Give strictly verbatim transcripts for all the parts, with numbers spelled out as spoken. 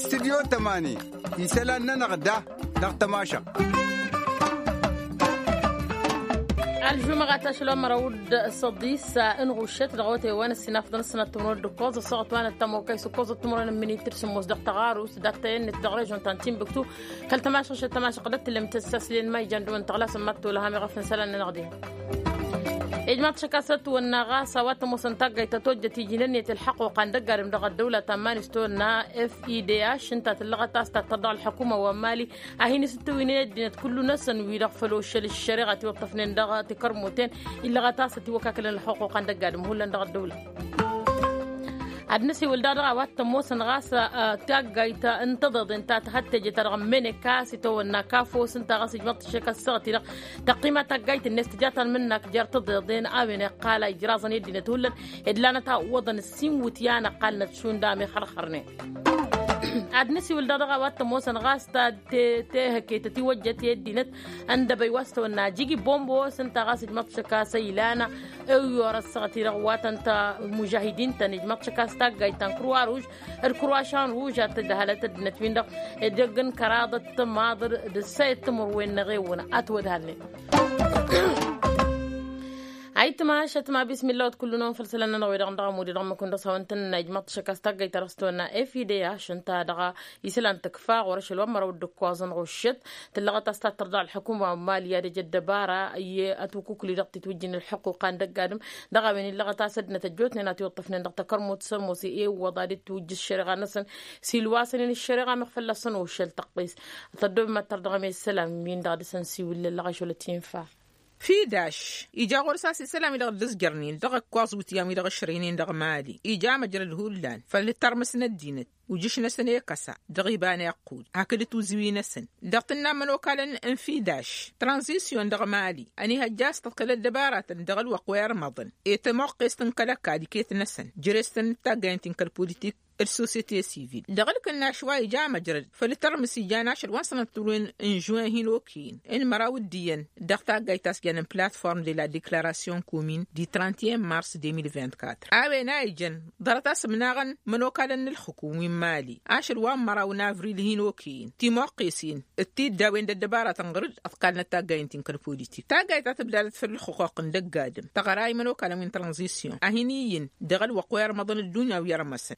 Studyo tămani isălan-nănăɣ da dăɣ-tămašăɣt. Ălžumăɣat ašăl wa n-măraw d-săḍis n-ɣuššet dăɣ-awătay wa n-ăssinafăḍăn ăssinăt timǝrwen d-ǝkkoẓ ăssaɣăt wa n-ăttămokăy s-ǝkkoẓăt timǝrwen n-minit d-sǝmmos dăɣ-taɣarust d-attăyăn-net dăɣ-režon ta n-tinbǝktu. Kăl-tămašăɣ šăt tămašăɣ d-ăttǝllăm tăssaslen ma ijan dăɣ-wăn tăɣlasăn mad-tolăham iɣăf n-isălan-nănăɣ dihen. Ijmaḍ-t šăkasăt wănna ɣas a-wa t-ămoosăn taggayt ta tojjăt iji n-ǝnniyăt ǝlḥăqquqa n-dăgg-adǝm dăɣ-ăddăwla ta n-iman-is tawănna f i d h ǝnta tǝllăɣăt a-s tattăr dăɣ-ălḥăkuma wa n-mali a hin-isǝttǝwǝynen ăddinăt kullu-năsăn wi-dăɣ făl oššăl ǝššăreɣa tiwăṭṭăfnen dăɣ-tikărmuten illăɣăt a-s ătiwăkakălăn ălḥăqquqa n-dăgg-adǝm hullan dăɣ-ăddăwla. Ad-nǝsiwǝl daɣ dăɣ-a-wa t-ămoosăn ɣas taggayt n-tăḍeḍen ta tihăttejăt ta dăɣ-ămmene kasi tawănna kafos ǝnta ɣas ijmăḍ-t šăkasăɣ-ti-dăɣ tăqqima taggayt-net tǝja tanmǝnnak jer-tăḍeḍen a-wen iqqal a ijraẓăn i-ăddinăt hullan ed lanăt a ǝwwăḍăn ǝssin iwǝtyan ăqqalnăt šund a mexărxărnen. Ad-nǝsiwǝl daɣ dăɣ-a-wa t-ămoosăn ɣas ta tehăke tătiwăjjăt i-ăddinăt ăndăbăy wa s-tăwănna jigi bombos ǝnta ɣas ijmăḍ-t šăkasăɣ ilan ewyor ăssaɣăt-i-dăɣ wa tăn-ta mužahidin-tăn ijmăḍ-t šăkasăɣ taggayt ta n-kruwa ruž d-kruwa šan ruž ad-tǝdhălăt ăddinăt-win-dăɣ edăgg n-kăraḍăt tămaḍăr d-ǝssayăt timǝrwen n-eɣewăn ătwădhalnen. Ayǝttǝm ašăt ma bismilla wăt kullu-năwăn făll-isălan-nănăɣ wi-dăɣ n-dăɣ ămud-i dăɣ-măkun dăɣ-s hawăn-tăn-nănna ijmăḍ-t šăkasăɣ taggayt ta dăɣ-s tăwănna f i d h ǝnta dăɣ-isălan tǝkfa ɣur-ašăl wa n-măraw d-ǝkkoẓăn ɣuššăt tǝllăɣăt a-s tattăr dăɣ-ălḥăkuma wa n-mali i-ad-ăj ăddăbara i-ătukukǝli dăɣ-titwǝjjin ălḥăqquqa n-dăgg-adǝm dăɣ-a-wen illăɣăt a-s ăddinăt ăjjootnen a tiwǝṭṭăfnen dăɣ-takărmut s-ămoos i-iwwăḍ ad-dd-tiwǝjj ăššăreɣa-năsăn s-ilwasăn-in ăššăreɣa meɣ fălla-săn oššăl tăqqis. Tăddob mad-tărdăɣăm i-isălan-win-dăɣ dăɣ-săn siwǝllăl lăɣăšolăt infa. Fidaš ija ɣur-s a-s isălan-wi-dăɣ dd-ǝzjărnen dăɣ-ǝkkoẓ iwǝtyan-wi-dăɣ ǝšrăynen dăɣ-mali ija măjrăd hullan făll-tărmǝs n-ăddinăt ujǝš-năsăn i-kăsa dăɣ-iba n-iqqud hakd tuziwi-năsăn dăɣ-tǝnna n-imănokalăn n-fidaš tranzisyon dăɣ-mali ănihăjja a-s tăḍkăl ăddăbaratăn dăɣ-ălwăqq wa irmăḍăn i-tămoqqest n-kăl-ăkall iket-năsăn jere-s-tăn d-taggayăn ti n-kăl-politik d-sosiyete sivil dăɣ-ǝlkǝnnaš wa ija măjrăd făll-tărmǝs ijan ašăl wa n-sănăt turwen n-žuwen hin-okăyăn n-măraw d-iyyăn dăɣ-taggayt ta s-janen platform de la deklarasyon komin di trente et un mars deux mille vingt-quatre a-wen a ijăn ḍarăt-as ǝmnaɣăn imănokalăn n-ǝlxǝkum wi n-mali ašăl wa n-măraw n-avril hin-okăyăn timoqqesen d-tiddawen d-ăddăbaratăn ɣur-dd ăḍkalnăt taggayăn ti n-kăl-politik taggayt ta tǝbdadăt făll-ǝlxǝquq n-dăgg-adǝm tăɣra i-imănokalăn wi n-tranzisyon a hin-iyyǝn dăɣ-ălwăqq wa irmăḍăn ăddunya wi ărmăsăn.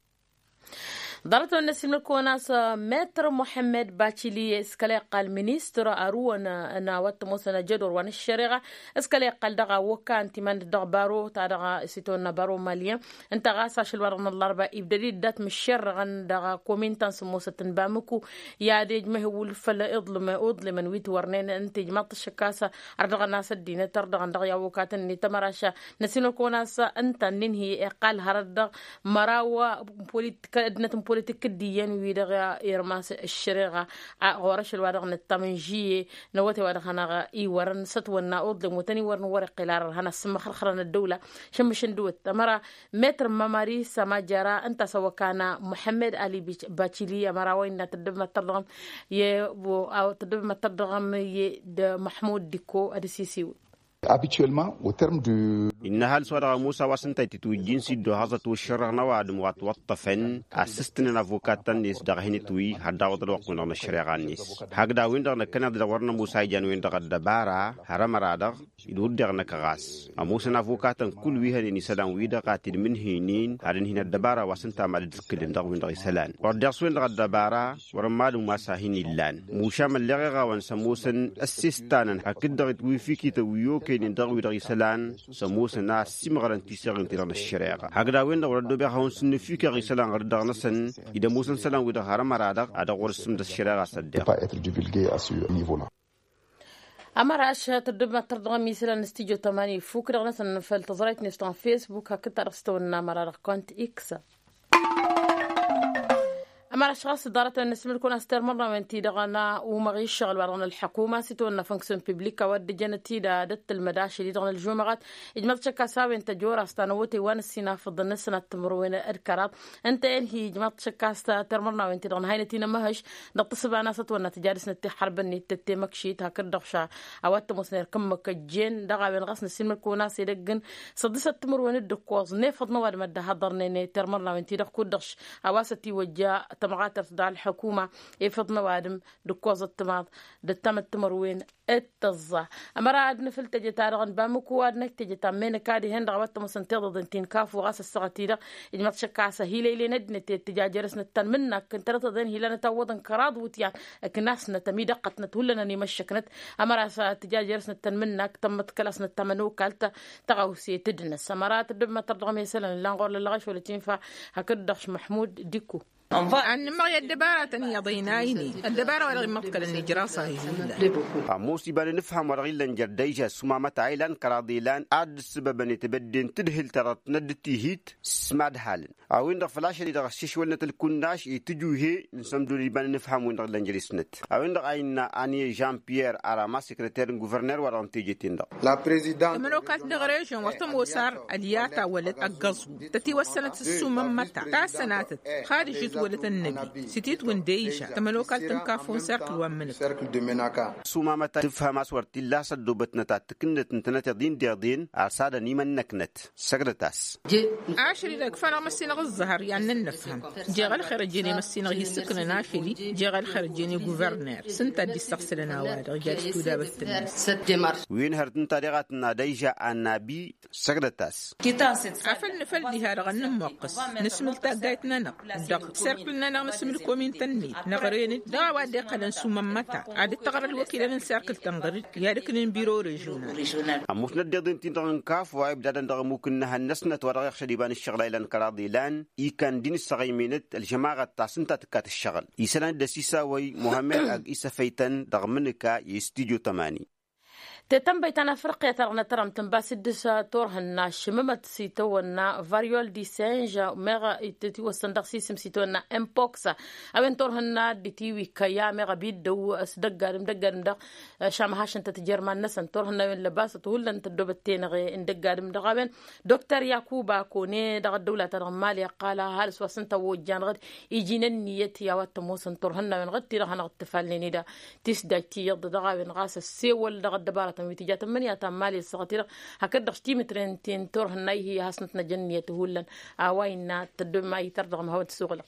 Ḍarăt-wen n-ăsimnăl kăwăn-as metr muḥămmed bacili s-kăla iqqal ministăr arǝwăn n-a-wa t-ămoosăn ăjădor wa n-ăššăreɣa s-kăla iqqal dăɣ-a wăkka ăntiman-dd dăɣ-baro ta dăɣ-s itawănna baro maliyăn ǝnta ɣas ašăl wa dăɣ-năllarba ibdăd-dd dat-mǝššerrăɣăn dăɣ-komin ta n-sǝmmosăt n-bamǝku i-ad-ejmăh iwǝl făll-iḍlǝmăn wi t-wărnen ǝnta ijmaḍ-t ăššăk a-s ărdăɣăn a-s ăddinăt ărdăɣăn dăɣ-i awăkatăn-net ămăraš n-ăsinăkăwăn a-s ǝnta n-inhǝy iqqal hărăt dăɣ-măraw ăddinăt n-politik d-iyyăn wi-dăɣ irmas ăššăreɣa ɣur-ašăl wa dăɣ-nǝttam n-žiyye n-awătay wa dăɣ-hanăɣ-iwărăn s-ătwănna uḍlem wătăn-iwărăn wăr-iqqel ar ărhan asǝmmăxrăxrăn ăddăwla šămmǝš n-dăwăt ămăra metr mamari s-amajara ǝnta a-s ăwăkana muḥămmed ali bacili ămăra wa innă tăddăb măttăr dăɣ-m i-tăddăb măttăr dăɣ-m i-d-măḥmud dikko ad-ăsisiwǝl. Habituellement au terme de. Innă ăhalǝs wa dăɣ-ămoos a-wa s-ǝnta a itǝtwǝjjin s-iddohăẓăt wa ǝššărrăɣ n-ăwadǝm wa ătwăṭṭăfăn a ǝssǝstǝnăn avokattăn-net dăɣ-hin-ǝtwǝy har d-awăḍ ălwăqq-wen-dăɣ n-ăššăreɣa-net. Hakd a-wen-dăɣ năkkăneḍ-dd wăr nămoos a ijan-wen-dăɣ ăddăbara har ămăra-dăɣ d-wăr deɣ năkk ɣas ămoosăn avokatăn kull wi hănen isălan-wi-dăɣ a t-dd-mǝnhǝynen ad-ǝnhǝyăn ăddăbara wa s-ǝnta mad-dd-ǝkkǝlăn dăɣ-wen-dăɣ isălan wăr deɣ s-wen-dăɣ ăddăbara wăr-ămmalǝm wa s-a hin-illan muša mălleɣ iɣawăn s-ămoosăn ăssistănăn hakd-dăɣ itwǝy fikităn wi okăynen dăɣ-wi-dăɣ isălan s-ămoosăn a ăssiimɣărăn tiseɣen-ti-dăɣ n-ăššăreɣa hakd a-wen-dăɣ wăr-ăddobeɣ ad-hawăn-sǝnnǝfikaɣ isălan ɣur-dăɣ-năsăn dd-ămoosăn isălan-wi-dăɣ har ămăra-dăɣ a dăɣ-wăr-ǝssǝmdăs ăššăreɣa s-ăddeɣ. Ămăra ašăt ăddăbmăttăr dăɣ-ămisălan n-studyo tămani ifuk dăɣ-năsăn făll-tăẓrayt-net ta n-facebook hakd ta dăɣ-s tăwănna ămăra dăɣ-kont x. Ămăraš ɣas ḍarăt-wen n-asǝmǝlkun a-s termărnawen-ti-dăɣ n-umăɣ i-ǝššăɣǝl-wa-dăɣ n-ălḥăkuma s-itwănna fănksǝn piblik a-wa dd-ǝjănăt-dd ad-ăttălmăd ašăl-i-dăɣ n-ălžumăɣăt. Ijmăḍ šăkk a-s a-wen tăjora s-tanăwătăy wa n-ăssinafăḍăn n-ăssinat timǝrwen d-kăraḍ. Ǝnta-en hi-ijmăḍ šăkk a-s termărnawen-ti-dăɣ n-hăynăt-in ămăhăš dăɣ-tǝssǝba n-asăt wănna tǝjadǝsnăt tixxărbăn-net tăttemăkšit hakd-dăɣ ša a-wa t-ămoosnen erk ǝmmǝk ăjjeen dăɣ-a-wen ɣas n-ăssinmălkăwăn a-s edăgg n-săḍisăt timǝrwen d-ǝkkoẓ n-efăḍ n-ăwadǝm a dd-ăhaḍărnen termărnawen-ti-dăɣ kud-dăɣ š-a-wa s-ătiwăjja tămɣatărt dăɣ-ălḥăkuma efăḍ n-ăwadǝm d-ǝkkoẓăt timaḍ d-ăttamăt timărwen d-tăẓẓa. Ămăra ad-nǝfǝl teje-ta-dăɣ n-bamǝku ad-năj teje ta n-menǝka dihen-dăɣ a-wa t-ămoosăn tiḍăḍen ti n-kafu ɣas ăssaɣăt-i-dăɣ ijmăḍ šăkk a-s ăhilăylăyăn ăddinăt i-ăttǝjajărăsnăt ta n-imǝnnak n-tărătăḍen hilanăt awwăḍăn kăraḍ iwǝtyan ǝknasnăt ămidăqqătnăt hullan ănimăššăknăt. Ămăra a-s ăttǝjajărăsnăt ta n-imǝnnak tămmăḍkălasnăt tamănokalt tăɣawse tǝdnăs ămăra tăddăbmăt tărdăɣ mesălăn ǝllan ɣur-lăllăɣ ašăl ătinfa hakd-dăɣ š-măḥmud dikku. Ad-nǝmmăɣ i-ăddăbaratăn iyyăḍ ăynaynen ăddăbara wa dăɣ-immăḍkălăn ijraṣ-ahi hullan. Ămoos iba n-anǝfham wa dăɣ-illăn jer-dăyža s-umamăt a ilan kăraḍ ilan ad-dd-ǝssǝbăbăn i-tebădde n-tǝdhǝl ta dăɣ-tnădd tihit s-mad-halăn a-wen-dăɣ făl ašăl-i-dăɣ ăssišwălnăt ălkunaš i-tǝjuhe n-sămdun iba n-anǝfham-wen-dăɣ ǝllan jer-isnăt a-wen-dăɣ a innă anye jean-pierre arama sekreter n-guvărner wa dăɣ-n teje-ten-dăɣ. Tămănokalt dăɣ-režăn wa s-tămoos ar ălyata wălăt ăggăẓu tătiwăssănăt s-ăssumămmăta ta sănatăt xad ǝžžǝt wălăt ănnăbi s-ititwǝn dăyža tămănokalt n-kafo n-serkǝl wa n-mǝnǝk. Sumamăta tǝfhăm a-s wăr t-illa a-s ăddoobătnăt ad-tǝkǝnnăt ǝntănăteḍ-in deḍen arsad ănimănnăknăt. Săgdăt-as. Ašăl-i-dăɣ ǝkfan amăssinăɣ ǝẓẓăhăr i-ad-nănnăfhăm jeɣ ălxer ăjjeen i-măssinăɣ hi-ǝssǝknăn ašăl-i jeɣ ălxer ăjjeen i-guvărner s-ǝnta a dd-issăɣsǝlăn a-wa-dăɣ ija-dăɣ tudabăt-tăn. Wi n-hărăt ǝnta deɣ a tǝnna dăyža annabi. Săgdăt-as. Afăl nǝfăl diha-dăɣ ad-nǝmmoqqăs nǝsmǝl taggayt-nănăɣ dăɣ-serkǝl-nănăɣ nǝsmǝl komintăn-net năɣren-dd dăɣ-a-wa dd-iqqălăn s-umămmăta ad-dd-tăɣra ălwăkilăn n-serkǝl tănɣăr-dd i-ad-ǝknen biro režional. Ămoosnăt deḍen-tin-dăɣ n-kafwa ibdadăn dăɣ-ămmuk n-inǝhăn-năsnăt wa dăɣ-iɣšăd iba n-ǝššăɣlay lan kăraḍ ilan ikan dd-inǝssăɣ imenăt ălžămaɣăt ta s-ǝnta tǝkkat ăššăɣǝl isălan-dd ăsisawăy muhammed ag isăfăytăn dăɣ-mǝnǝka i-studio tămani. Tetănbăy ta n-afriqya ta dăɣ-nătărăm tǝnba s-dd-s turhǝnna šǝmǝmăt s-itawănna variol disenž meɣ itǝtiwăssăn dăɣ-sisǝm s-itawănna impoks. A-wen turhǝnna dd-itiwi kăyya meɣ ăbidăw s-dăgg-adǝm dăgg-adǝm dăɣ-šamăhašăn-tăt jer-iman-năsăn turhǝnna a-wen lăbasăt hullan tăddoobăt tenăɣe n-dăgg-adǝm dăɣ-a-wen. Dokter yakuba kone dăɣ-ăddăwla-ta-dăɣ n-mali ăqqal ăhalǝs wa s-ǝnta a ojjanăɣ-dd iji n-ǝnniyăt i-a-wa t-ămoosăn turhǝnna-wen ɣǝd-ti-dăɣ hanăɣ-dd-tǝfalnen-dd. Tisdaj tiyyăḍ dăɣ-a-wen ɣas ăssewăl dăɣ-ăddăbarătăn wi tǝja tǝmmǝnǝya ta n-mali ăssaɣăt-i-dăɣ hakd-dăɣ timǝtren ti n-turhǝnna-i hi-hasnăt n-ajăn ǝnniyăt hullan. A-wa innă tăddob ma ităr dăɣ-măhawăn tǝsuɣǝlăɣ.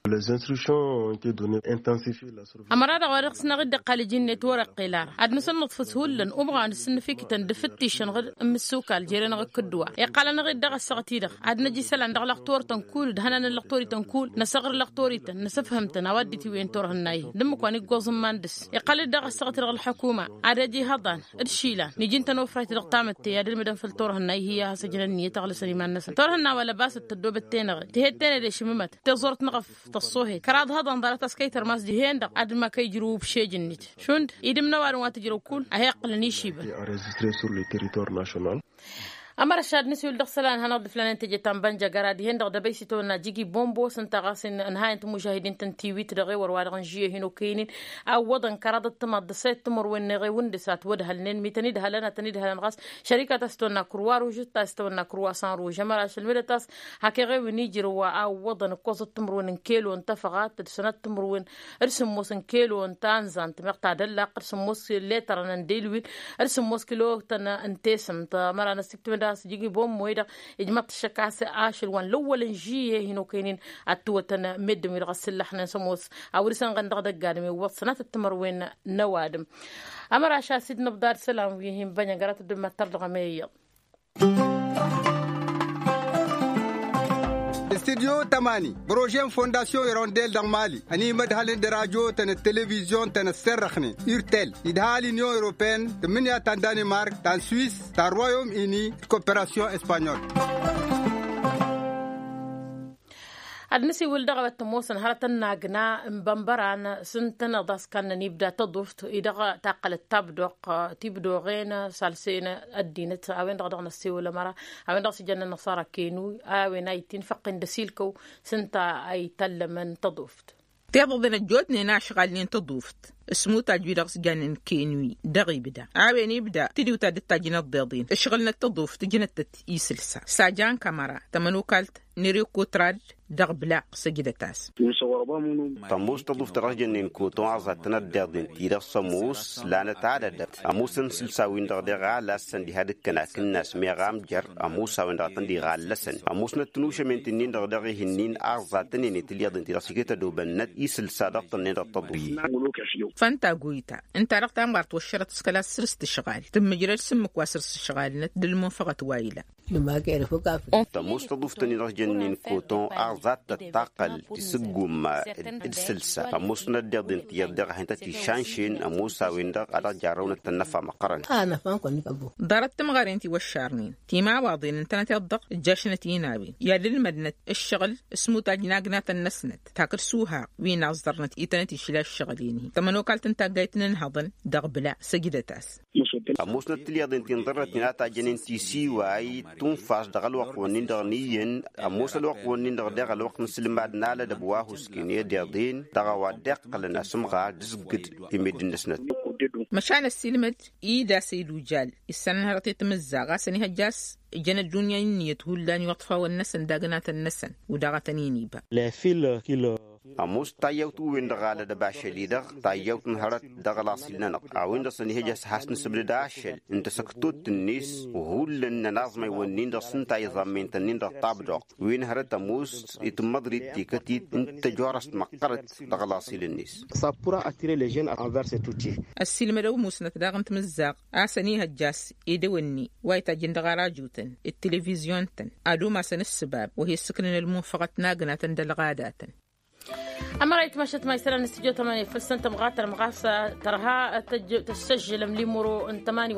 Les instructions ont été données intensifier la surveillance. Ămăra-dăɣ wa dăɣ-s năɣ-dd-iqqal iji-net wăr-iqqel ara ad-nǝsǝnnǝḍfǝs hullan umɣan s-ǝnnǝfikǝtăn d-afǝttišăn ɣǝd n-imǝssukal jere-năɣ ǝkkǝdduwa. Iqqal-anăɣ-dd dăɣ-ăssaɣăt-i-dăɣ ad-năj isălan dăɣ-lăxturtăn kull d-hănan n-lăxturităn kull năsăɣrǝl lăxturităn nǝsǝfhǝm-tăn a-wa dd-itiwǝyăn turhǝnna-i-hi d-ǝmmǝk wa n-iggoẓ n-iman dăɣ-s. Iqqal-dd dăɣ-ăssaɣăt-i-dăɣ ălḥukuma ad-ăj ihăḍan d-išilan niji n-tănofrayt dăɣ-tamǝtte i-ad-ǝlmǝdăn făll-turhǝnna-i-hi a has-ăjrăn ǝnniyăt aɣlǝsăn iman-năsăn turhǝnna wa lăbasăt tăddoobăt tenăɣe tihedden ed ešmǝmăt tiẓẓurt n-eɣăf tăṣṣohet kăraḍ hăḍăn ḍarăt a-s kăy-tărmas dihen-dăɣ ad-ǝmma kăy-ijrǝw ubšej-net šund idǝm n-ăwadǝm wa tǝjrăw kull a he-iqqǝlăn išibăn. Enregistré sur le territoire national. Ămăra šad nǝsiwǝl dăɣ-isălan ad-hanăɣ-dd-ǝflanen teje ta n-bănjăgăra dihen-dăɣ dăbăy s-itawănna jigi bombo s-ǝnta ɣas ănhayăn timujahidin-tăn tiwit dăɣ-ewăr wa dăɣ-nǝžžǝy ăhinokăynen awwăḍăn kăraḍăt timaḍ d-ăssayăt timărwen n-eɣewǝn dăɣ-s a ătwădhălnen mi tăn-idhălăn ad-tăn-idhălăn ɣas šărikăt a-s tăwănna kurwa ruž d-ta s-tăwănna kurwa san ruž ămăra ašăl medăt a-s hak eɣewǝn ijrǝw a ǝwwăḍăn ǝkkoẓăt timǝrwen n-kelo n-tafăɣat d-sănat timǝrwen d-sǝmmos n-kelo n-tanzant meɣ tadăllaqt d-sǝmmos letărăn n-delwil d-sǝmmos kilo-tăn n-tesǝmt. Ămăra năsiktǝmǝd a-s jigi bommo-i-dăɣ ijmăḍ-t ăššăk a-s ašăl wa n-lăwwăl n-žiyye hin-okăynen ad-t-tǝwătăn meddǝn-wi-dăɣ ăssǝllăxnen s-ămoos a wăr-isănɣăn dăɣ-idăgg-adǝm iwwăḍ sănatăt timărwen n-ăwadǝm. Ămăra ašăl a-s dd-nǝbḍad isălan wi hin-bănyăgăra tǝddǝm ad-tărdăɣăm i-iyyăḍ. Studyo tămani prože n-fondasyon irondel dăɣ-mali ănimădhălăn d-radyo-tăn d-televizyon-tăn ăssărrăxnen urtel idha l-inyon europeyăn tǝmmǝnǝya ta n-danimark ta n-swis ta n-royom ini d-koperasyon espanyol. Ad-nǝsiwǝl dăɣ-a-wa t-ămoosăn hărătăn n-agna n-bănbăran s-ǝntăneḍ a-s kannăn ibda tăḍuft-i-dăɣ taqqălăt tabdoɣt, tibdoɣen s-alsen ăddinăt a-wen-dăɣ dăɣ-năssiwǝl ămăra a-wen-dăɣ s-ijănnăn năṣara kenu a-wen a ittin făqqin d-asilkăw s-ǝnta a itallămăn tăḍuft. Tiḍăḍen ăjjootnen a ǝšɣalnen tăḍuft s-mutaj-wi-dăɣ s-jannen kenu-i dăɣ-ibda a-wen ibda tǝdiwt a dd-tajjăn ăḍḍeḍen ǝšɣǝlnăt tăḍuft ǝjnăt-tăt isǝlsa s-ajan kamăra tămănokalt n-ereko trad dăɣ-bla. Săjdăt-as. Tămoos tăḍuft-ta dăɣ-s jănnen koton aẓattăn ăddeḍen-ti-dăɣ s-ămoos lanăt adădăt ămoosăn isǝlsa-win-dăɣ deɣ a lassăn diha d-ǝkkăn akǝnnas meɣ amjăr ămoos a-wen-dăɣ a tăn-dd-iɣallăsăn ămoosnăt tinušămen-ti-nin-dăɣ deɣ ihǝnnin aẓattăn-en i-tilyaḍen-ti-dăɣ s-iket ădobănnăt isǝlsa dăɣ-tănnen dăɣ-tăḍuft. Fănta goyta ǝnta-dăɣ tamɣart wăššărăt s-kăla s-săr-s tǝšɣal tǝmmǝjrăd s-ǝmmǝk wa săr-s ǝšɣalnăt d-ălmunfăɣăt wa ila. Tămoos tăḍuft-tăn-in-dăɣ jănnen koton aẓattăt taqqăl tisǝggumma d-sǝlsa ămoosnăt deḍen tiyyăḍ deɣ a hin-tăt-išanšen ămoos a-wen-dăɣ a dăɣ-jarrăwnăt tănnăfa măqqărăn. Ḍarăt timɣăren tiwăššarnen timawaḍen ǝntănăt iḍḍăɣ ǝjjašnăt-in a-wen i-ad-ǝlmădnăt ǝššăɣǝl s-mutaj n-agnatăn-năsnăt takǝd s-uhaɣ wi n-aẓẓărnăt itănăt išla ǝššăɣǝl-in-hi tămănokalt n-taggayt n-inhăḍăn dăɣ-bla. Săjdăt-as. Ămoosnăt tilyaḍen ti n-ḍărrăt-in a tajjănen tisiway tunfas dăɣ-ălwăqq-wǝnnin-dăɣ n-iyyăn ămoos ălwăqq-wǝnnin-dăɣ deɣ ălwăqq n-asǝlmad n-alădăb wa husken i-deḍen dăɣ-a-wa dd-iqqălăn asǝmɣar d-asǝggǝd i-meddǝn-năsnăt. Măšan ăssiilmăd idas i-lujal issănăn hărăt i-timǝzzaɣ a-s ănihăjja a-s ǝjăn ăddunya i-ǝnniyăt hullan i-iwăṭfawăn-năsăn d-agnatăn-năsăn. Wi-dăɣ a tăn-in-iba. Ămoos tayyawt-wen-dăɣ alădăb ašăl-i-dăɣ tayyawt n-hărăt dăɣ-laṣil-nănăɣ a-wen-dăɣ s-ănihăjja a-s has-nǝsǝbdăd ašăl n-tasăktut-net hullan n-ănaẓmăy-wǝnnin-dăɣ s-ǝnta iẓammăyăn-tăn-in-dăɣ tabdoɣt wi n-hărăt ămoos itǝmmăḍrit tikătit n-tăjorăst măqqărăt dăɣ-laṣil-net. Sapura atire lejen anverse tuti. Ăssiilmădăw musnăt daɣ n-timǝzzaɣ a-s ănihăjja a-s edăwănni wa itajjăn dăɣ-arajutăn d-tilivizyon-tăn ad-umasăn ǝssǝbab wa hi-ǝssǝknăn ălmunfăɣăt n-agnatăn d-ălɣadatăn. Ămăra itmăšăt ma isălan n-stujo tămani făl-săn tămɣatăn mɣas tărha tăssăžžălăm limuro n-tămani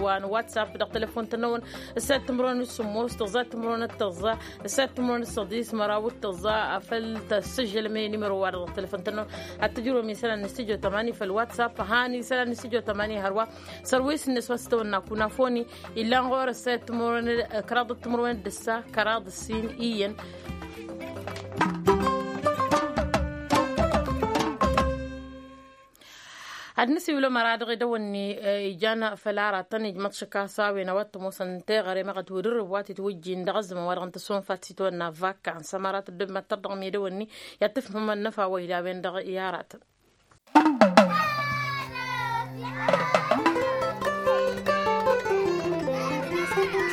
wa n-whatsapp dăɣ-telefon-tăn-năwăn. Ǝssat timǝrwen s-sǝmmos tăẓẓa timǝrwen d-tăẓẓa ǝssat timǝrwen s-săḍis măraw d-tăẓẓa. Făl tăssăžžălăm inimăro wa dăɣ-telefon-tăn-năwăn ad-tǝjrǝwăm isălan n-stujo tămani făl-whatsapp han isălan n-stujo tămani hărwa. Sărwis-net wa s-tăwănna kunafoni illan ɣur-s kăraḍ d-timǝrwen d-ǝssa kăraḍ d-ǝssin iyyăn. Ad-nǝsiwǝl ămăra dăɣ-edăwănni ijan făll-aratăn ijmăḍ šăkk a-s a-wen a-wa t-ămoosăn teɣăre măɣăt wǝdǝrrǝb wa t-itwǝjjin dăɣ-ăzzăman wa dăɣ-n tăsonfat s-itwănna vakans ămăra tăddommăttăr dăɣ-medăwănni i-ad-tǝfhǝmăn năfa wa ila a-wen-dăɣ i-aratăn.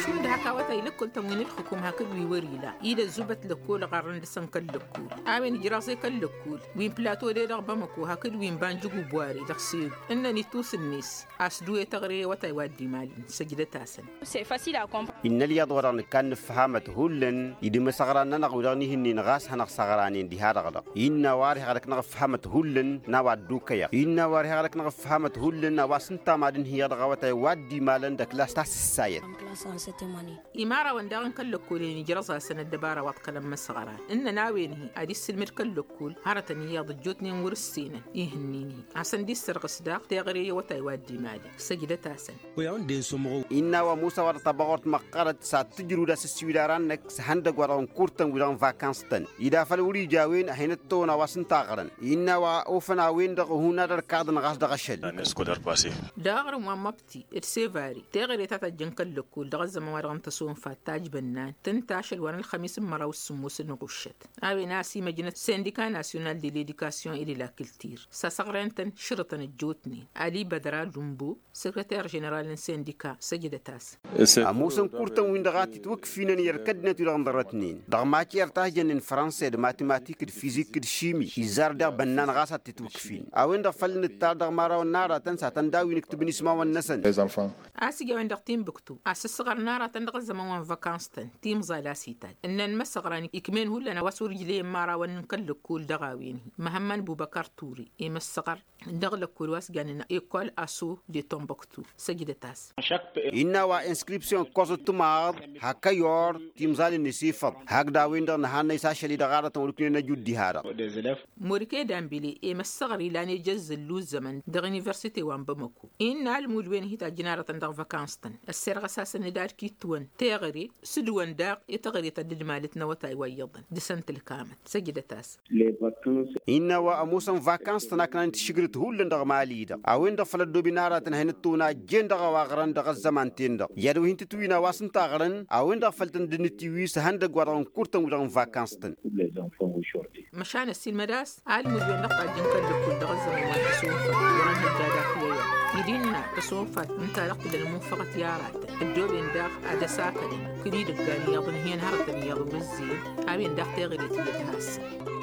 Šund hak awătay lăkkol-tăn wi n-ǝlxǝkum hakd wi wăr-ila-i d-ăzzubăt lăkkol ɣarrăn dăɣ-săn kăl-lăkkol a-wen ǝjraẓ i-kăl-lăkkol wi n-plato d-edăɣ bamăko hakd wi n-banjǝgu bwari dăɣ-selu ǝnnăn ittus-net. A-s dd-uwe teɣăre i-awătay wa dd-imalăn săjdăt-asăn. Innă ălyaḍ wa dăɣ-nǝkkan nǝfhămăt hullan idǝm asăɣran-nănăɣ wi dăɣ-nihǝnnin ɣas hanăɣ-săɣranen diha-dăɣ-dăɣ innă a-wa ărheɣ dăɣ-năɣ ǝfhămăt hullan n-a-wa ădduukăyăɣ innă a-wa ărheɣ dăɣ-năɣ ǝfhămăt hullan a-wa s-ǝnta mad-ǝnhǝyăɣ dăɣ-awătay wa dd-imalăn d-ăklas ta s-ǝssayăt. Imarawăn daɣ n-kăl-lăkkolen ijrăẓ-asăn ăddăbara wa ăḍkălăn imăsɣăran ǝnnăn a-wen-hi ad-issǝlmǝd kăl-lăkkol hărătăn iyyăḍ ăjjootnen wăr-ǝssenăn ihǝnnin-hi. A-s ănda-issărɣǝs daɣ teɣăre i-awătay wa dd-imali săjdăt-asăn. Innă a-wa musa wa dăɣ-tabaɣurt măqqărăt s-ad-tǝjrǝw d-asǝssiwǝl aran-năk s-ihăndăgg wa dăɣ-nǝkurtăn wi-dăɣ n-vakans-tăn ida făl wăr-ija a-wen ad-hin-ăttăwăn a-wa s-ǝnta ăɣrăn. Innă a-wa ofăn a-wen-dăɣ hun ad-ărkaḍăn ɣas dăɣ-ašăl. Dăɣ-aɣrǝm wa n-măbti d-sevari teɣăre ta tajjăn kăl-lăkkol dăɣ-ăzzăman wa dăɣ-n tăsonfat tajbănnan tǝnta ašăl wa n-ălxămis n-măraw s-sǝmmos n-iɣuššăt. A-wen a-s imăjnăt sindika nasyonal de ledikasyun i-de la kiltir s-asăɣren-tăn šărǝtăn ăjjootnen ali bădra lumbo săkrăter ženeral n-sindika săjdăt-as. Ămoosăn kurtăn-win-dăɣ a t-itwǝkfinăn i-ărkădnet wi-dăɣ n-ḍărătnen dăɣ-macer ta s-jănnen frănse d-matematik d-fizik d-šimi izzar deɣ bănnan ɣas ad-t-itwǝkfin a-wen-dăɣ făl nǝttar dăɣ-imărawăn n-aratăn s-ad-tăn-daw-in ǝktǝbăn ismawăn-năsăn. A-s ija a-wen-dăɣ timbǝktu a-s Ăqqărăn aratăn dăɣ-ăzzăman wa n-văkans-tăn timẓal a-s itajj ǝnnăn imăssăɣran ikmen hullan a-wa s-wăr ǝjleyăn imărawăn n-kăl-lăkkol dăɣ-a-wen-hi. Măhămmăn bubăkăr turi i-imăssăɣăr dăɣ-lăkkol wa s-jannen ekol aso de tombăktu. Săjdăt-as. Innă a-wa inskripsyon ǝkkoẓăt timaḍ hak ăyor timẓal-net ifăḍ hakd a-wen-dăɣ nǝhannăy s-ašăl-i dăɣ-aratăn wăr-ǝknen ăjuddiha-dăɣ. Morike dambile i-măssăɣăr ilan ejăzzǝllu ăzzăman dăɣ-universite wa n-bamăko innă almud-wen-hi tajjǝn aratăn dăɣ-văkans-tăn. Ăssirɣăs-asăn d-ad-kittǝwăn teɣăre s-dăɣ-wăn daɣ i-teɣăre ta dd-malăt n-awătay wa iyyăḍăn dăɣ-săn tǝlkamăt. Săjdăt-as. Innă a-wa ămoosăn vakans-tăn a kănăn-t išǝgrǝt hullan dăɣ-mali-dăɣ a-wen-dăɣ făl ăddooben aratăn a hin-ǝttǝwăn a ăjjeen dăɣ-a-wa ɣărăn dăɣ-ăzzăman-ten-dăɣ i-ad-wa hin-tǝtwǝyǝn a-wa s-ǝnta a ɣărăn a-wen-dăɣ făl tăn-dd-nǝtiwǝy s-ehăndăgg-wa-dăɣ n-kurtăn-wi-dăɣ n-vakans-tăn. Măšan ăssiilmăd a-s almǝd-wen-dăɣ tajjǝn kăl-lăkkol dăɣ-ăzzăman wa n-tăsonfalt wăr-ănhăjja daɣ-t i-ăyăr ed innă tăsonfalt ǝnta-dăɣ tǝdăl munfăɣăt i-aratăn ăddooben daɣ ad-ăsakădăn kăl-idăggan iyyăḍ ǝnhǝyăn hărătăn iyyăḍ wăr-ǝzzeyăn. A-wen daɣ teɣăre tiyyăt has-săn.